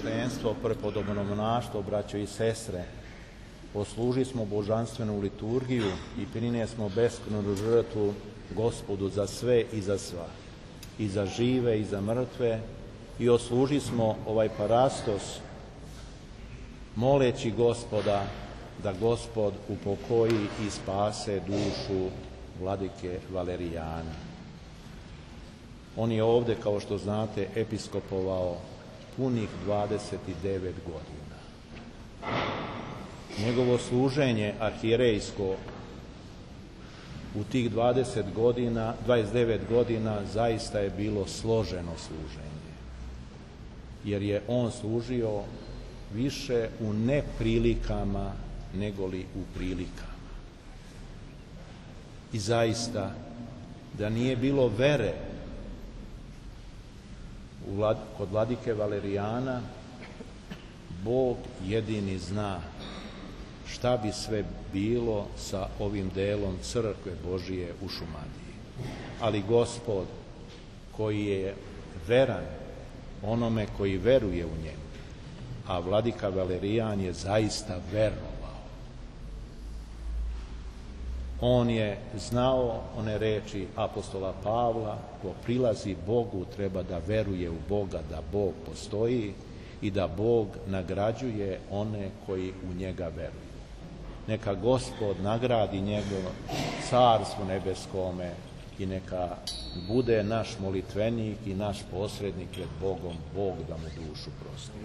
sveštenstvo, prepodobno monaštvo, braćo i sestre, posluži smo božanstvenu liturgiju i prinije smo beskrajnu žrtvu Gospodu za sve i za sva, i za žive i za mrtve, i osluži smo ovaj parastos moleći Gospoda da Gospod upokoji i spase dušu vladike Valerijana. On je ovde, kao što znate, episkopovao punih 29 godina. Njegovo služenje arhijerejsko u tih 29 godina zaista je bilo složeno služenje, jer je on služio više u neprilikama negoli u prilikama. I zaista, da nije bilo vere kod vladike Valerijana, Bog jedini zna šta bi sve bilo sa ovim delom crkve Božije u Šumadiji. Ali Gospod, koji je veran onome koji veruje u njemu, a vladika Valerijan je zaista verovao. On je znao one reči apostola Pavla: ko prilazi Bogu treba da veruje u Boga, da Bog postoji i da Bog nagrađuje one koji u njega veruju. Neka Gospod nagradi njegovo carstvo nebeskome i neka bude naš molitvenik i naš posrednik pred Bogom, Bog da mu dušu prosti.